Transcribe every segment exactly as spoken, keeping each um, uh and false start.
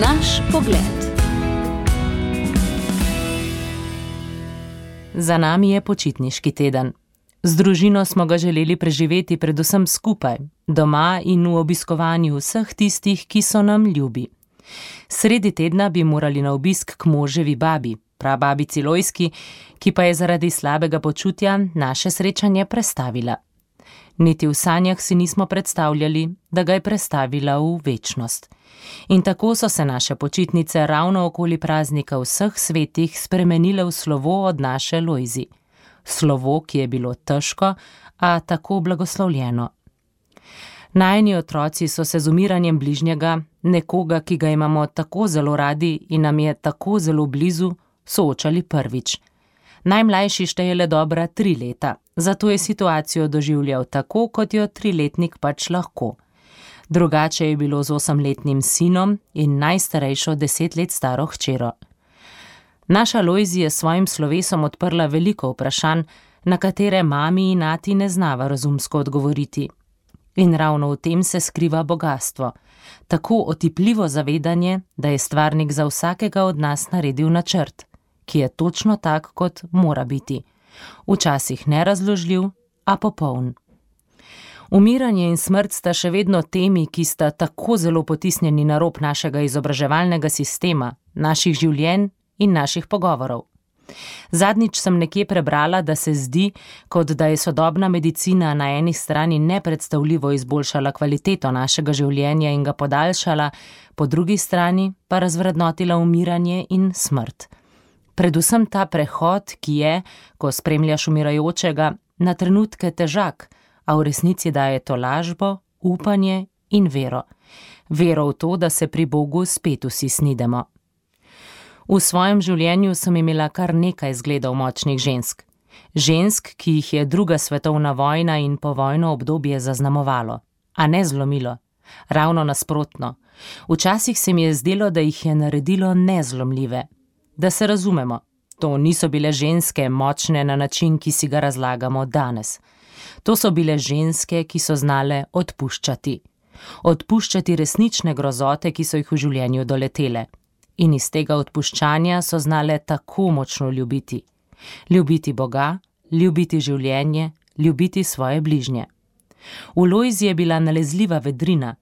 Naš pogled. Za nami je počitniški teden. Z družino smo ga želeli preživeti predvsem skupaj, doma in v obiskovanju vseh tistih, ki so nam ljubi. Sredi tedna bi morali na obisk k moževi babi, prababici Lojski, ki pa je zaradi slabega počutja naše srečanje prestavila. Niti v sanjah si nismo predstavljali, da ga je prestavila v večnost. In tako so se naše počitnice ravno okoli praznika vseh svetih spremenile v slovo od naše Lojzi. Slovo, ki je bilo težko, a tako blagoslovljeno. Najini otroci so se z umiranjem bližnjega, nekoga, ki ga imamo tako zelo radi in nam je tako zelo blizu, soočali prvič. Najmlajši šteje le dobra tri leta, zato je situacijo doživljal tako, kot jo triletnik pač lahko. Drugače je bilo z osemletnim sinom in najstarejšo deset let staro hčero. Naša Lojzi je s svojim slovesom odprla veliko vprašanj, na katere mami in ati ne znava razumsko odgovoriti. In ravno v tem se skriva bogastvo, tako otipljivo zavedanje, da je stvarnik za vsakega od nas naredil načrt, ki je točno tak, kot mora biti. Včasih nerazložljiv, a popoln. Umiranje in smrt sta še vedno temi, ki sta tako zelo potisnjeni na rob našega izobraževalnega sistema, naših življenj in naših pogovorov. Zadnjič sem nekje prebrala, da se zdi, kot da je sodobna medicina na eni strani nepredstavljivo izboljšala kvaliteto našega življenja in ga podaljšala, po drugi strani pa razvrednotila umiranje in smrt. Predvsem ta prehod, ki je, ko spremljaš umirajočega, na trenutke težak, a v resnici daje tolažbo, upanje in vero. Vero v to, da se pri Bogu spet vsi snidemo. V svojem življenju sem imela kar nekaj zgledov močnih žensk. Žensk, ki jih je druga svetovna vojna in povojno obdobje zaznamovalo, a ne zlomilo. Ravno nasprotno. Včasih se mi je zdelo, da jih je naredilo nezlomljive. Da se razumemo, to niso bile ženske močne na način, ki si ga razlagamo danes. To so bile ženske, ki so znale odpuščati. Odpuščati resnične grozote, ki so jih v življenju doletele. In iz tega odpuščanja so znale tako močno ljubiti. Ljubiti Boga, ljubiti življenje, ljubiti svoje bližnje. V Lojzi je bila nalezljiva vedrina,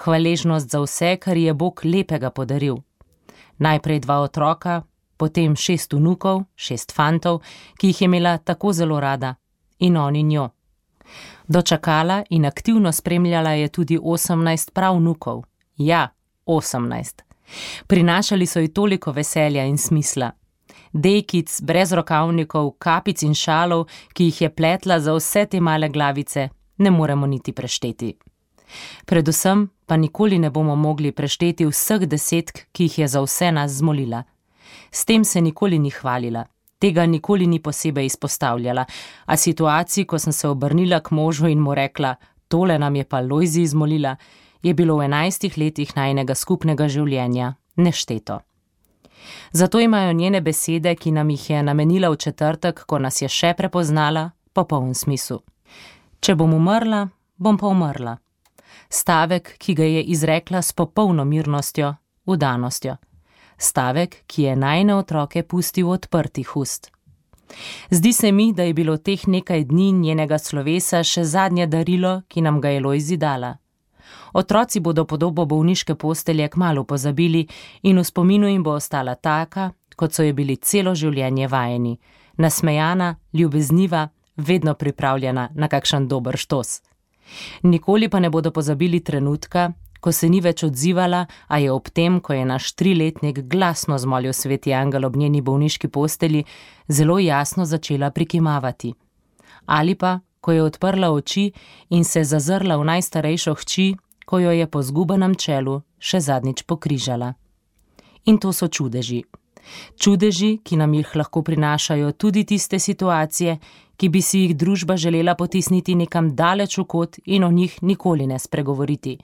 hvaležnost za vse, kar je Bog lepega podaril. Najprej dva otroka, potem šest vnukov, šest fantov, ki jih je imela tako zelo rada, in oni njo. Dočakala in aktivno spremljala je tudi osemnajst pravnukov. Ja, osemnajst. Prinašali so ji toliko veselja in smisla. Dejkic, brez rokavnikov, kapic in šalov, ki jih je pletla za vse te male glavice, ne moremo niti prešteti. Predvsem pa nikoli ne bomo mogli prešteti vseh desetk, ki jih je za vse nas zmolila. S tem se nikoli ni hvalila, tega nikoli ni posebej izpostavljala, a situaciji, ko sem se obrnila k možu in mu rekla, tole nam je pa Lojzi izmolila, je bilo v enajstih letih najinega skupnega življenja nešteto. Zato imajo njene besede, ki nam jih je namenila v četrtek, ko nas je še prepoznala, popoln smisel. Če bom umrla, bom pa umrla. Stavek, ki ga je izrekla s popolno mirnostjo, vdanostjo. Stavek, ki je najine otroke pustil odprtih ust. Zdi se mi, da je bilo teh nekaj dni njenega slovesa še zadnje darilo, ki nam ga je Lojzi dala. Otroci bodo podobo bolniške postelje kmalu pozabili in v spominu jim bo ostala taka, kot so je bili celo življenje vajeni. Nasmejana, ljubezniva, vedno pripravljena na kakšen dober štos. Nikoli pa ne bodo pozabili trenutka, ko se ni več odzivala, a je ob tem, ko je naš triletnik glasno zmolil sveti angel ob njeni bolniški postelji, zelo jasno začela prikimavati. Ali pa, ko je odprla oči in se zazrla v najstarejšo hči, ko jo je po zgubanem čelu še zadnjič pokrižala. In to so čudeži. Čudeži, ki nam jih lahko prinašajo tudi tiste situacije, ki bi si jih družba želela potisniti nekam daleč v kot in o njih nikoli ne spregovoriti.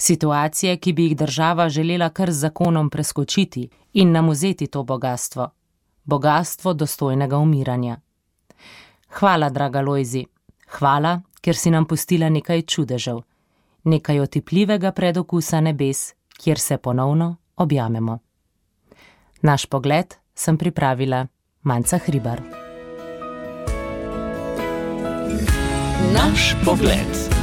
Situacije, ki bi jih država želela kar z zakonom preskočiti in nam vzeti to bogastvo. Bogastvo dostojnega umiranja. Hvala, draga Lojzi. Hvala, ker si nam pustila nekaj čudežev. Nekaj otipljivega predokusa nebes, kjer se ponovno objamemo. Naš pogled sem pripravila Manca Hribar. Naš pogled.